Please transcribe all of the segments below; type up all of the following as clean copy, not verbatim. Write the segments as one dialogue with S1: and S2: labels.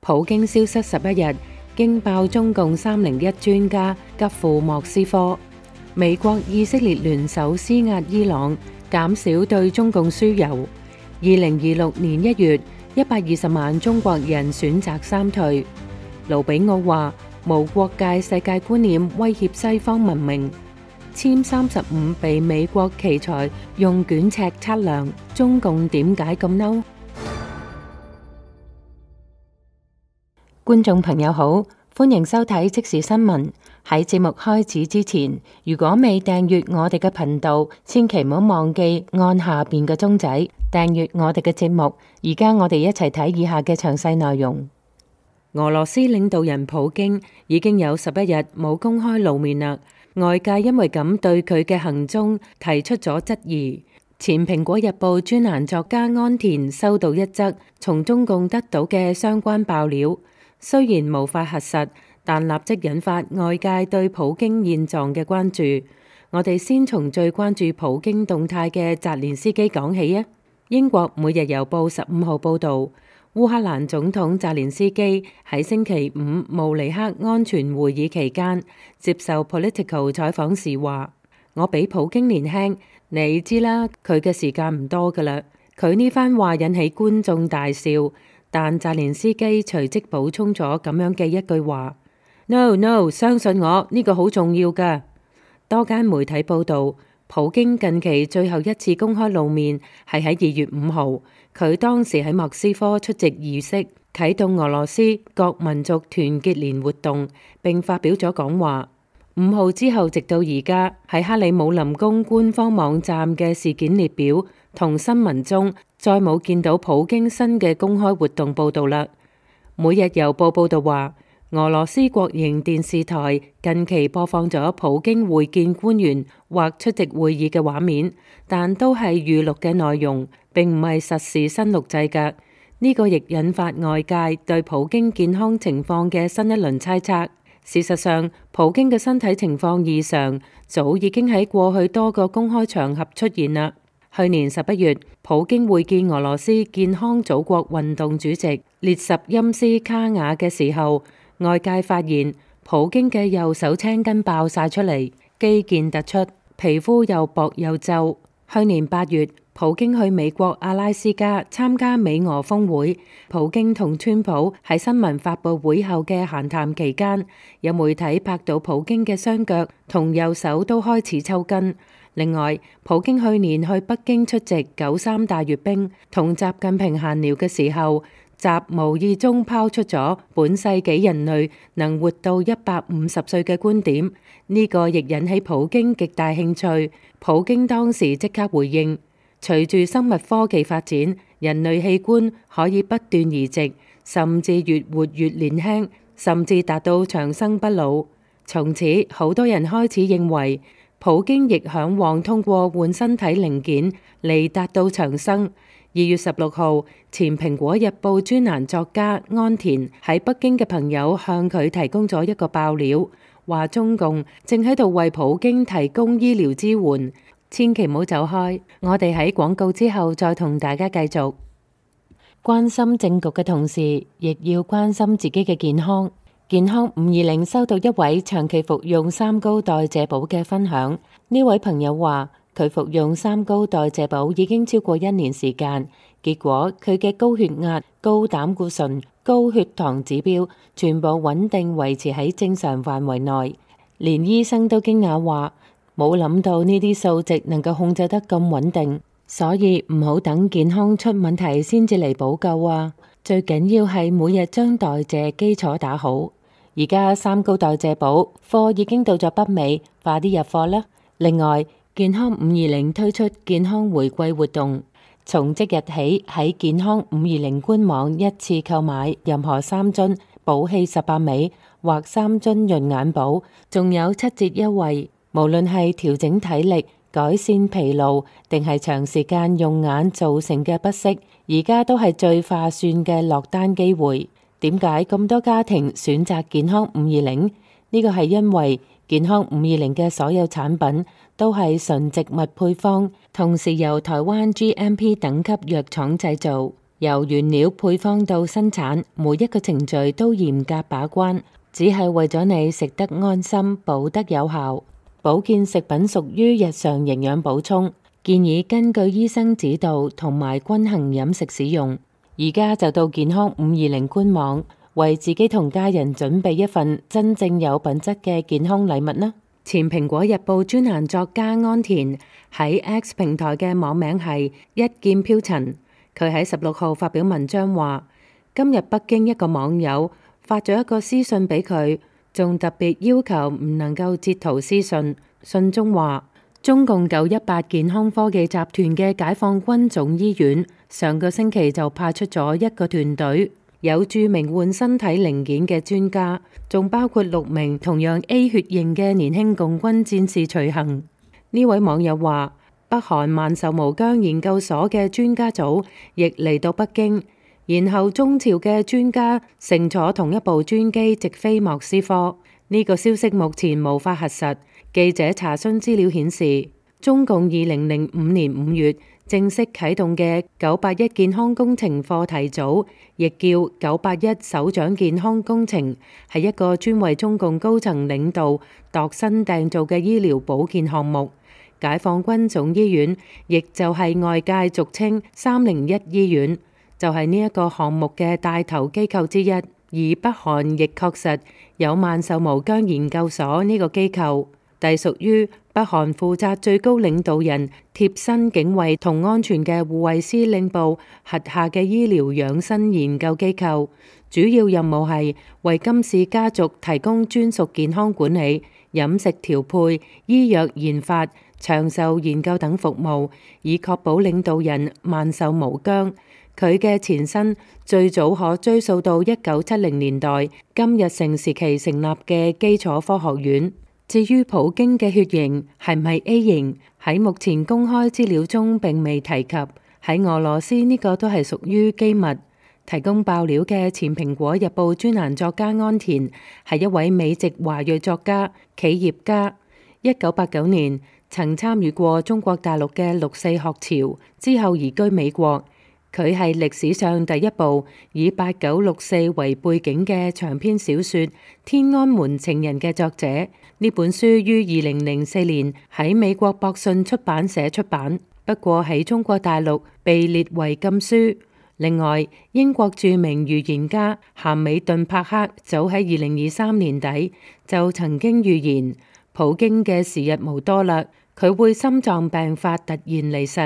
S1: 普京消失11日，驚爆中共301專家急赴莫斯科。美國以色列聯手施壓伊朗，減少對中共輸油。2026年1月，120萬中國人選擇三退。盧比奧話：無國界世界觀念威脅西方文明。殲35被美國奇才用卷尺測量，中共點解咁嬲？觀眾朋友好，歡迎收睇即時新聞。喺節目開始之前，如果未訂閱我哋嘅頻道，千祈唔好忘記按下邊嘅鐘仔訂閱我哋嘅節目。而家我哋一齊睇以下嘅詳細內容。俄羅斯領導人普京已經有11日冇公開露面啦，外界因為咁對佢嘅行蹤提出咗質疑。前蘋果日報專欄作家安田收到一則從中共得到嘅相關爆料，雖然無法核實，但立即引發外界對普京現狀嘅關注。我哋先從最關注普京動態嘅澤連斯基講起啊。英國每日郵報15號報導，烏克蘭總統澤連斯基喺星期5慕尼黑安全會議期間接受 Political 採訪時話：我比普京年輕，你知啦，佢嘅時間唔多㗎啦。佢呢番話引起觀眾大笑，但澤連斯基隨即補充咗咁樣嘅一句話：No，相信我，呢個好重要㗎。多間媒體報導，普京近期最後一次公開露面係喺2月5號，佢當時喺莫斯科出席儀式，啟動俄羅斯各民族團結連活動，並發表咗講話。5號之後，直到而家喺克里姆林宮官方網站嘅事件列表同新聞中，再冇見到普京新嘅公開活動報導啦。每日郵報報導話，俄羅斯國營電視台近期播放咗普京會見官員或出席會議嘅畫面，但都係預錄嘅內容，並唔係實時新錄製㗎。呢個亦引發外界對普京健康情況嘅新一輪猜測。事實上，普京嘅身體情況異常，早已經喺過去多個公開場合出現啦。去年11月，普京會見俄羅斯健康祖國運動主席列什欽斯卡雅嘅時候，外界發現普京嘅右手青筋爆晒出嚟，肌腱突出，皮膚又薄又皺。去年8月，普京去美國阿拉斯加參加美俄峰會，普京同川普喺新聞發佈會後嘅閒談期間，有媒體拍到普京嘅雙腳同右手都開始抽筋。另外，普京去年去北京出席93大閱兵，同習近平閒聊嘅時候，習無意中拋出咗本世紀人類能活到150歲嘅觀點，呢個亦引起普京極大興趣。普京當時即刻回應：隨住生物科技發展，人類器官可以不斷移植，甚至越活越年輕，甚至達到長生不老。從此，好多人開始認為普京亦嚮往通過換身體零件嚟達到長生。2月16號，前蘋果日報專欄作家安田喺北京嘅朋友向佢提供咗一個爆料，話中共正喺度為普京提供醫療支援，千祈唔好走開。我哋喺廣告之後再同大家繼續。關心政局嘅同時，亦要關心自己嘅健康。健康520收到一位長期服用三高代謝寶嘅分享，呢位朋友話，佢服用三高代謝寶已經超過1年時間，結果佢嘅高血壓、高膽固醇、高血糖指標全部穩定維持喺正常範圍內，連醫生都驚訝話冇諗到呢啲數值能夠控制得咁穩定，所以唔好等健康出問題先至嚟補救啊！最緊要係每日將代謝基礎打好。而家三高代謝寶貨已經到咗北美，快啲入貨啦！另外，健康520推出健康回饋活動，從即日起喺健康520官網一次購買任何3樽寶氣18美或3樽潤眼寶，仲有7折優惠。無論係調整體力、改善疲勞，定係長時間用眼造成嘅不適，而家都係最划算嘅落單機會。點解咁多家庭選擇健康520？呢個係因為健康520嘅所有產品都係純植物配方，同時由台灣 GMP 等級藥廠製造。由原料配方到生產，每一個程序都嚴格把關，只係為咗你食得安心、補得有效。保健食品屬於日常營養補充，建議根據醫生指導同埋均衡飲食使用。而家就到健康520官網，為自己同家人準備一份真正有品質嘅健康禮物啦！前蘋果日報專欄作家安田喺 X 平台嘅網名係一劍飄塵，佢喺16號發表文章話，今日北京一個網友發咗一個私信俾佢，仲特別要求唔能夠截圖私信。信中話，中共918健康科技集團嘅解放軍總醫院上個星期就派出咗一個團隊，有著名換身體零件嘅專家，仲包括6名同樣 A 血型嘅年輕共軍戰士隨行。呢位網友話，北韓萬壽無疆研究所嘅專家組亦嚟到北京，然後中朝嘅專家乘坐同一部專機直飛莫斯科。呢個消息目前無法核實。記者查詢資料顯示，中共2005年5月正式啟動嘅981健康工程課題組，亦叫981首長健康工程，係一個專為中共高層領導度身訂造嘅醫療保健項目。解放軍總醫院，亦就係外界俗稱301醫院，就係呢一個項目嘅帶頭機構之一。而北韓亦確實有萬壽無疆研究所呢個機構，隸屬於北韓負責最高領導人貼身警衛同安全嘅護衛司令部轄下嘅醫療養生研究機構，主要任務係為金氏家族提供專屬健康管理、飲食調配、醫藥研發、長壽研究等服務，以確保領導人萬壽無疆。佢嘅前身最早可追溯到1970年代金日成時期成立嘅基礎科學院。至於普京嘅血型係唔係 A 型，喺目前公開資料中並未提及。喺俄羅斯呢個都係屬於機密。提供爆料嘅前蘋果日報專欄作家安田係一位美籍華裔作家、企業家。1989年曾參與過中國大陸嘅6.4學潮，之後移居美國。佢係歷史上第一部以8964為背景嘅長篇小說《天安門情人》嘅作者。呢本書於2004年喺美國博信出版社出版，不過喺中國大陸被列為禁書。另外，英國著名預言家咸美頓柏克早喺2023年底就曾經預言普京嘅時日無多啦，佢會心臟病發突然離世。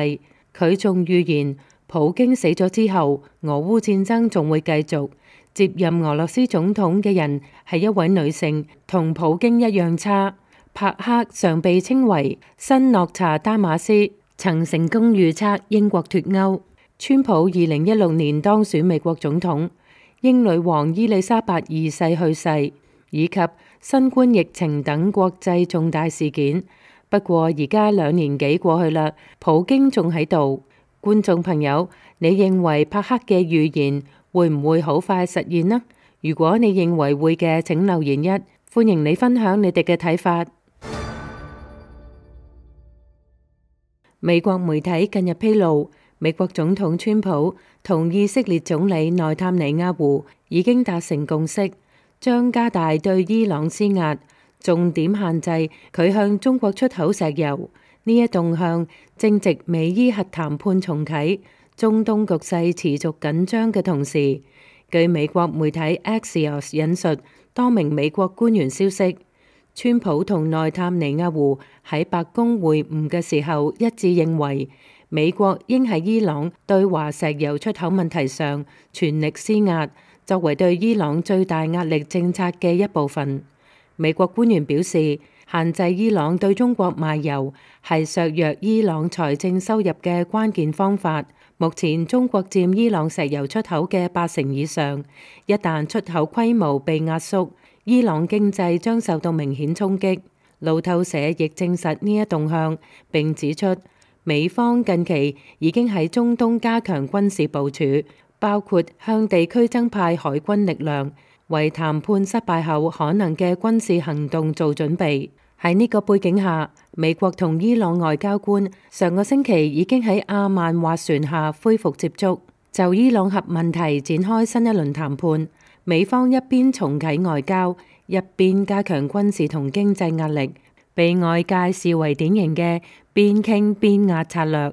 S1: 佢仲預言普京死咗之後，俄烏戰爭仲會繼續。接任俄羅斯總統嘅人係一位女性，同普京一樣差。柏克常被稱為新諾查丹馬斯，曾成功預測英國脫歐。川普2016年當選美國總統，英女王伊麗莎白二世去世，以及新冠疫情等國際重大事件。不過而家2年幾過去啦，普京仲喺度。觀眾朋友，你認為柏克嘅預言會唔會好快實現呢？如果你認為會嘅，請留言1，歡迎你分享你哋嘅睇法。美國媒體近日披露，美國總統川普同以色列總理內塔尼亞胡已經達成共識，將加大對伊朗施壓，重點限制佢向中國出口石油。呢一動向正值美伊核談判重啟，中東局勢持續緊張嘅同時，據美國媒體 Axios 引述多名美國官員消息，川普同內塔尼亞胡喺白宮會晤嘅時候一致認為，美國應喺伊朗對華石油出口問題上全力施壓，作為對伊朗最大壓力政策嘅一部分。美國官員表示，限制伊朗對中國賣油係削弱伊朗財政收入嘅關鍵方法。目前中國佔伊朗石油出口嘅80%以上，一旦出口規模被壓縮，伊朗經濟將受到明顯衝擊。路透社亦證實呢一動向，並指出美方近期已經喺中東加強軍事部署，包括向地區增派海軍力量，為談判失敗後可能嘅軍事行動做準備。喺呢個背景下，美國同伊朗外交官上個星期已經喺阿曼斡旋下恢復接觸。就伊朗核問題展開新一輪談判，美方一邊重啟外交，一邊加強軍事同經濟壓力，被外界視為典型嘅邊傾邊壓策略。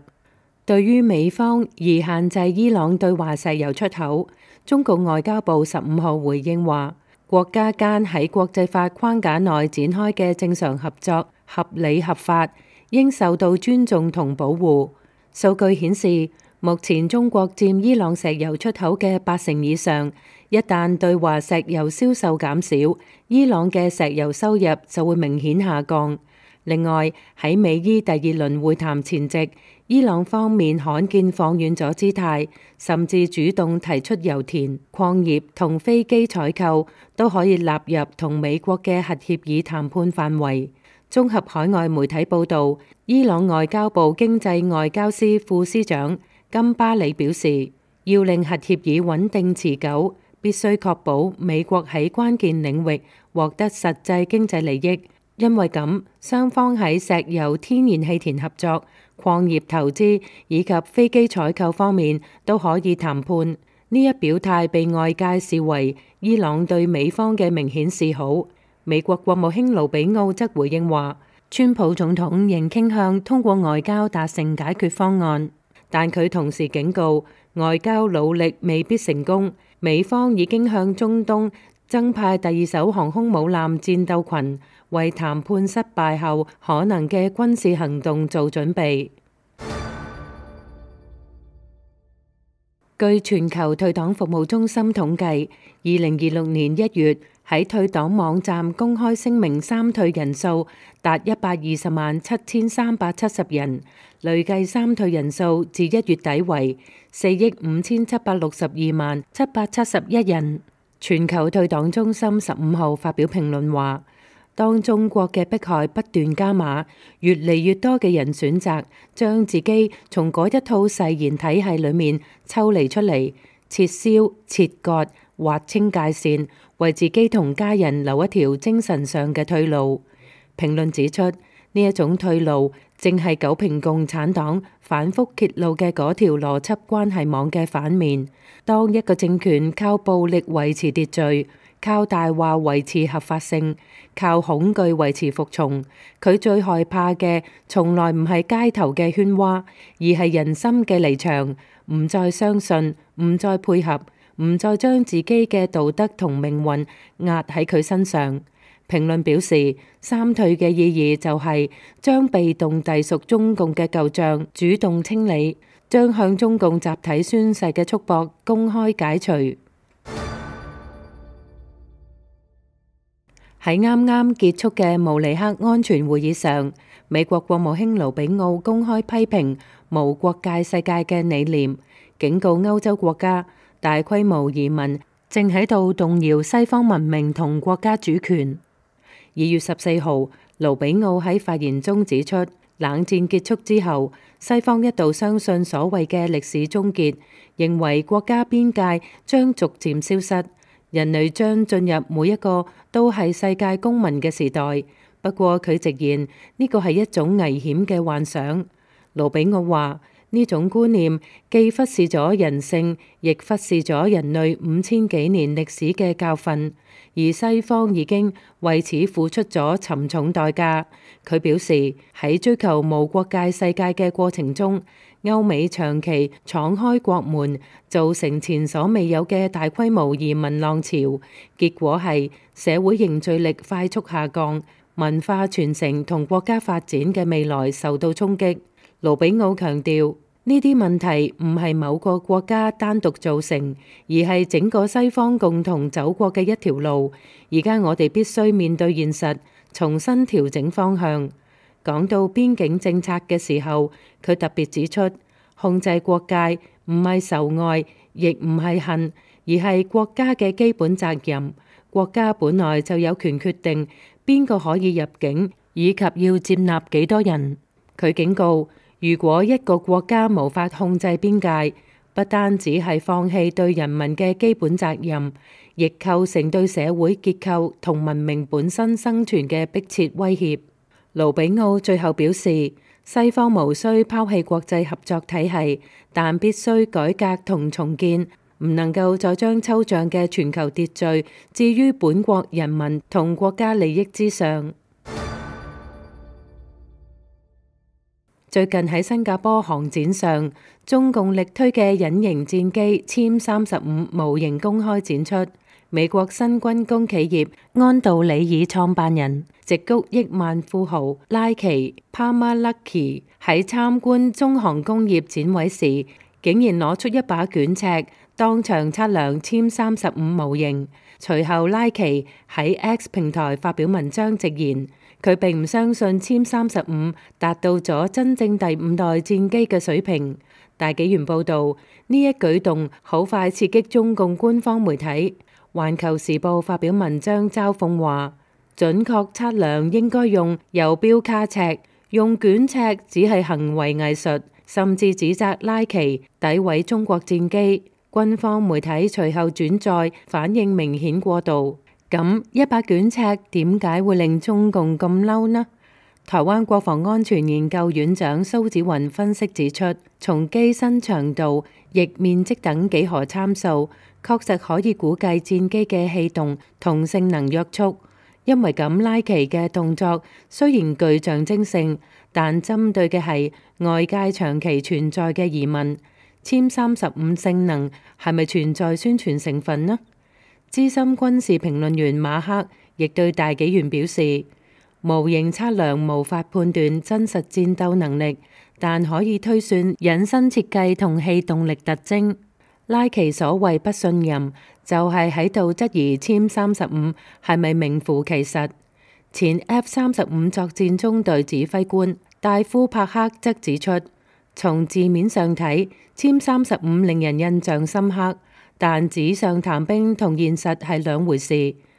S1: 對於美方而限制伊朗對華石油出口，中共外交部15號回應話，國家間喺國際法框架內展開嘅正常合作合理合法，應受到尊重同保護。數據顯示，目前中國佔伊朗石油出口嘅80%以上，一旦對華石油銷售減少，伊朗嘅石油收入就會明顯下降。另外，喺美伊第二輪會談前夕，伊朗方面罕見放軟咗姿態，甚至主動提出油田、礦業同飛機採購都可以納入同美國嘅核協議談判範圍。綜合海外媒體報導，伊朗外交部經濟外交司副司長金巴里表示，要令核協議穩定持久，必須確保美國喺關鍵領域獲得實際經濟利益。因為咁，雙方喺石油、天然氣田合作、礦業投資以及飛機採購方面都可以談判。呢一表態被外界視為伊朗對美方嘅明顯示好。美國國務卿盧比奧則回應話，川普總統仍傾向通過外交達成解決方案，但佢同時警告，外交努力未必成功。美方已經向中東增派第2艘航空母艦戰鬥群，為談判失敗後可能嘅軍事行動做準備。據全球退黨服務中心統計，2026年1月喺退黨網站公開聲明三退人數達1207370人，累計三退人數自1月底為457627771人。全球退黨中心15號發表評論話，當中國嘅迫害不斷加碼，越嚟越多嘅人選擇將自己從嗰一套誓言體系裏面抽離出嚟，撤銷、切割、劃清界線，為自己同家人留一條精神上嘅退路。評論指出，呢一種退路正係九評共產黨反覆揭露嘅嗰條邏輯關係網嘅反面。當一個政權靠暴力維持秩序，靠大話維持合法性，靠恐懼維持服從，佢最害怕嘅從來唔係街頭嘅喧嘩，而係人心嘅離場，唔再相信，唔再配合，唔再將自己嘅道德同命運壓喺佢身上。評論表示，三退嘅意義就係將被動隸屬中共嘅舊賬主動清理，將向中共集體宣誓嘅束縛公開解除。喺啱啱結束嘅慕尼黑安全會議上，美國國務卿盧比奧公開批評無國界世界嘅理念，警告歐洲國家大規模移民正喺度動搖西方文明同國家主權。2月14號，盧比奧喺發言中指出，冷戰結束之後，西方一度相信所謂嘅歷史終結，認為國家邊界將逐漸消失，人類將進入每一個都係世界公民嘅時代。不過佢直言呢個係一種危險嘅幻想。盧比奧話，呢種觀念既忽視咗人性，亦忽視咗人類5000幾年歷史嘅教訓，而西方已經為此付出咗沉重代價。佢表示，喺追求無國界世界嘅過程中，歐美長期敞開國門，造成前所未有嘅大規模移民浪潮，結果係社會凝聚力快速下降，文化傳承同國家發展嘅未來受到衝擊。盧比奧強調，呢啲問題唔係某個國家單獨造成，而係整個西方共同走過嘅一條路。而家我哋必須面對現實，重新調整方向。講到邊境政策嘅時候，佢特別指出，控制國界唔係仇愛，亦唔係恨，而係國家嘅基本責任。國家本來就有權決定邊個可以入境，以及要接納幾多人。佢警告，如果一個國家無法控制邊界，不單只係放棄對人民嘅基本責任，亦構成對社會結構同文明本身生存嘅迫切威脅。盧比奧最後表示，西方無需拋棄國際合作體系，但必須改革同重建，唔能夠再將抽象嘅全球秩序置於本國人民同國家利益之上。最近喺新加坡航展上，中共力推嘅隱形戰機殲35模型公開展出。美國新軍工企業安道里爾創辦人、矽谷億萬富豪拉奇·帕馬勒奇喺參觀中航工業展位時，竟然攞出一把捲尺，當場測量殲35模型。隨後拉奇喺 X 平台發表文章直言，佢並唔相信殲35達到咗真正第5代戰機嘅水平。大紀元報導，呢一舉動好快刺激中共官方媒體。環球時報發表文章嘲諷話，準確測量應該用游標卡尺，用捲尺只係行為藝術，甚至指責拉奇詆毀中國戰機。軍方媒體隨後轉載，反應明顯過度。咁一把捲尺點解會令中共咁嬲呢？台灣國防安全研究院長蘇紫雲分析指出，從機身長度、翼面積等幾何參數，確實可以估計戰機嘅氣動同性能約束。因為咁，拉奇嘅動作雖然具象徵性，但針對嘅係外界長期存在嘅疑問：殲35性能係咪存在宣傳成分呢？資深軍事評論員馬克亦對大紀元表示，模型測量無法判斷真實戰鬥能力，但可以推算引申設計同氣動力特徵。拉奇所謂不信任，就係喺度質疑殲35係咪名副其實。前 F-35作戰中隊指揮官戴夫帕克則指出，從字面上睇，殲35令人印象深刻，但紙上談兵同現實係兩回事。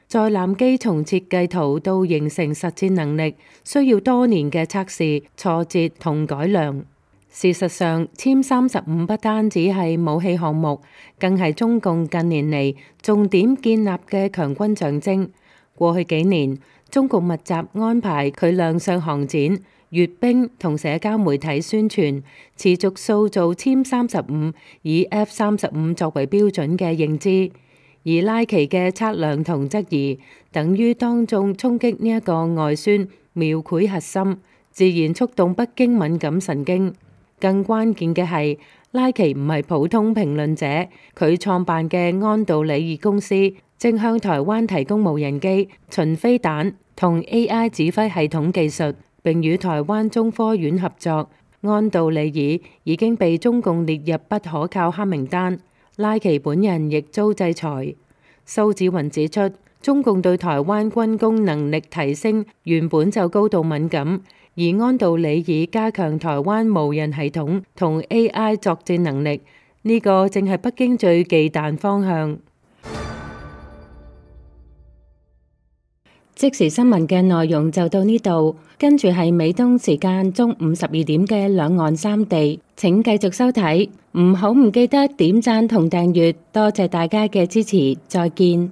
S1: 載艦機從設計圖到形成實戰能力，需要多年嘅測試、挫折同改良。事實上，殲35不單止係武器項目，更係中共近年嚟重點建立嘅強軍象徵。過去幾年，中共密集安排佢亮相航展、閱兵同社交媒體宣傳，持續塑造殲35以 F-35作為標準嘅認知。而拉奇嘅測量同質疑，等於當眾衝擊呢一個外宣，描繪核心，自然觸動北京敏感神經。更關鍵嘅係，拉奇唔係普通評論者，佢創辦嘅安道里爾公司正向台灣提供無人機、巡飛彈同 AI 指揮系統技術，並與台灣中科院合作。安道里爾已經被中共列入不可靠黑名單，拉奇本人亦遭制裁。蘇紫雲指出，中共對台灣軍工能力提升原本就高度敏感。而安道里爾加強台灣無人系統同 AI 作戰能力，呢個正係北京最忌憚方向。即時新聞嘅內容就到呢度，跟住係美東時間中午12點嘅兩岸三地，請繼續收睇，唔記得點讚同訂閱，多謝大家嘅支持，再見。